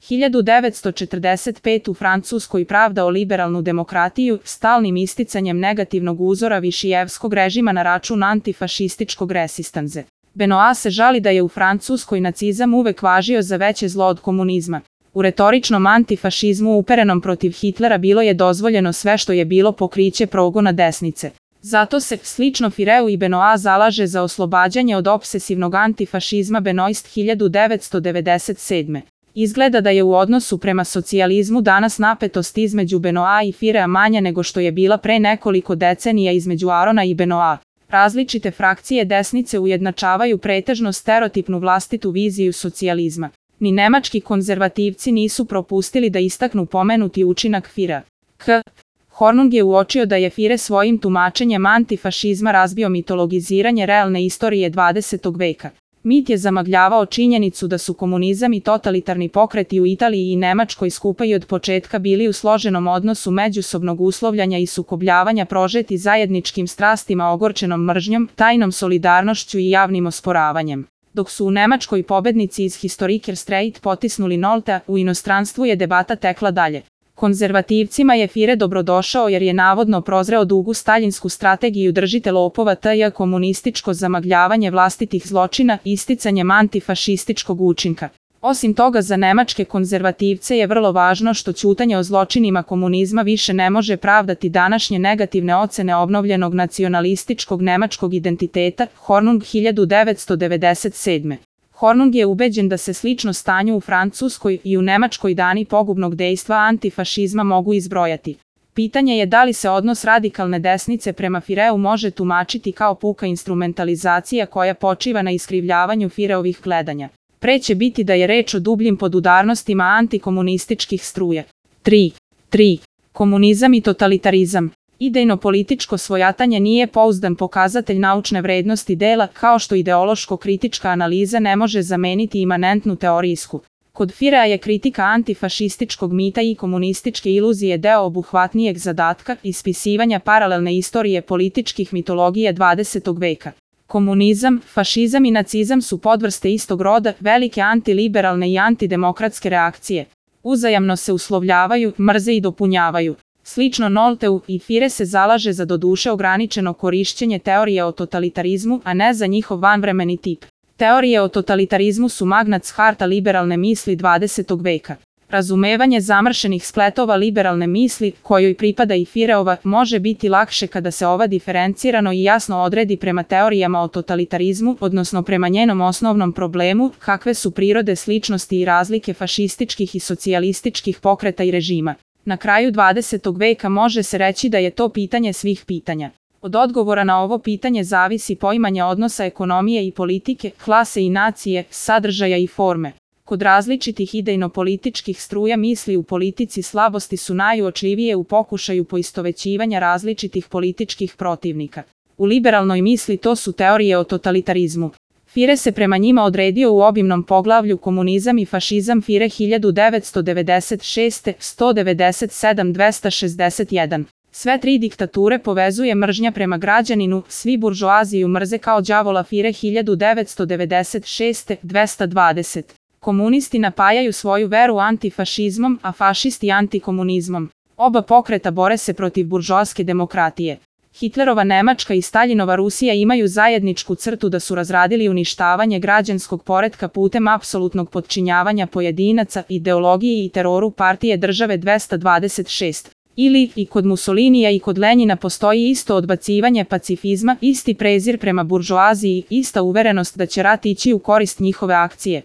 1945 u Francuskoj pravda o liberalnu demokratiju, stalnim isticanjem negativnog uzora višijevskog režima na račun antifašističkog resistanze. Benoit se žali da je u Francuskoj nacizam uvek važio za veće zlo od komunizma. U retoričnom antifašizmu uperenom protiv Hitlera bilo je dozvoljeno sve što je bilo pokriće progona desnice. Zato se, slično Fireu i Benoit, zalaže za oslobađanje od opsesivnog antifašizma Benoist 1997. Izgleda da je u odnosu prema socijalizmu danas napetost između Benoit i Firea manja nego što je bila pre nekoliko decenija između Arona i Benoit. Različite frakcije desnice ujednačavaju pretežno stereotipnu vlastitu viziju socijalizma. Ni nemački konzervativci nisu propustili da istaknu pomenuti učinak Firea. Hornung je uočio da je Fire svojim tumačenjem antifašizma razbio mitologiziranje realne istorije 20. veka. Mit je zamagljavao činjenicu da su komunizam i totalitarni pokreti u Italiji i Nemačkoj skupa i od početka bili u složenom odnosu međusobnog uslovljanja i sukobljavanja prožeti zajedničkim strastima ogorčenom mržnjom, tajnom solidarnošću i javnim osporavanjem. Dok su u Nemačkoj pobednici iz Historiker Streit potisnuli Noltea, u inostranstvu je debata tekla dalje. Konzervativcima je Fire dobrodošao jer je navodno prozreo dugu staljinsku strategiju držite lopova t.j. komunističko zamagljavanje vlastitih zločina isticanjem antifašističkog učinka. Osim toga, za nemačke konzervativce je vrlo važno što ćutanje o zločinima komunizma više ne može pravdati današnje negativne ocene obnovljenog nacionalističkog nemačkog identiteta. Hornung 1997. Hornung je ubeđen da se slično stanju u Francuskoj i u Nemačkoj dani pogubnog dejstva antifašizma mogu izbrojati. Pitanje je da li se odnos radikalne desnice prema Fireu može tumačiti kao puka instrumentalizacija koja počiva na iskrivljavanju Fireovih gledanja. Pre će biti da je reč o dubljim podudarnostima antikomunističkih struja. 3. Komunizam i totalitarizam. Idejno-političko svojatanje nije pouzdan pokazatelj naučne vrednosti dela, kao što ideološko-kritička analiza ne može zameniti imanentnu teorijsku. Kod Firea je kritika antifašističkog mita i komunističke iluzije deo obuhvatnijeg zadatka ispisivanja paralelne istorije političkih mitologije 20. veka. Komunizam, fašizam i nacizam su podvrste istog roda, velike antiliberalne i antidemokratske reakcije. Uzajamno se uslovljavaju, mrze i dopunjavaju. Slično Nolteu, i Fire se zalaže za doduše ograničeno korišćenje teorije o totalitarizmu, a ne za njihov vanvremeni tip. Teorije o totalitarizmu su magnac harta liberalne misli 20. veka. Razumevanje zamršenih spletova liberalne misli, kojoj pripada i Fireova, može biti lakše kada se ova diferencirano i jasno odredi prema teorijama o totalitarizmu, odnosno prema njenom osnovnom problemu, kakve su prirode sličnosti i razlike fašističkih i socijalističkih pokreta i režima. Na kraju 20. veka može se reći da je to pitanje svih pitanja. Od odgovora na ovo pitanje zavisi poimanje odnosa ekonomije i politike, klase i nacije, sadržaja i forme. Kod različitih idejno-političkih struja misli u politici slabosti su najuočljivije u pokušaju poistovećivanja različitih političkih protivnika. U liberalnoj misli to su teorije o totalitarizmu. Fire se prema njima odredio u obimnom poglavlju Komunizam i fašizam Fire 1996. 197 261. Sve tri diktature povezuje mržnja prema građaninu, svi buržoaziju mrze kao đavola Fire 1996. 220. Komunisti napajaju svoju veru antifašizmom, a fašisti antikomunizmom. Oba pokreta bore se protiv buržoaske demokratije. Hitlerova Nemačka i Staljinova Rusija imaju zajedničku crtu da su razradili uništavanje građanskog poretka putem apsolutnog potčinjavanja pojedinaca, ideologiji i teroru partije države 226. Ili, i kod Mussolinija i kod Lenjina postoji isto odbacivanje pacifizma, isti prezir prema buržoaziji, ista uverenost da će rat ići u korist njihove akcije.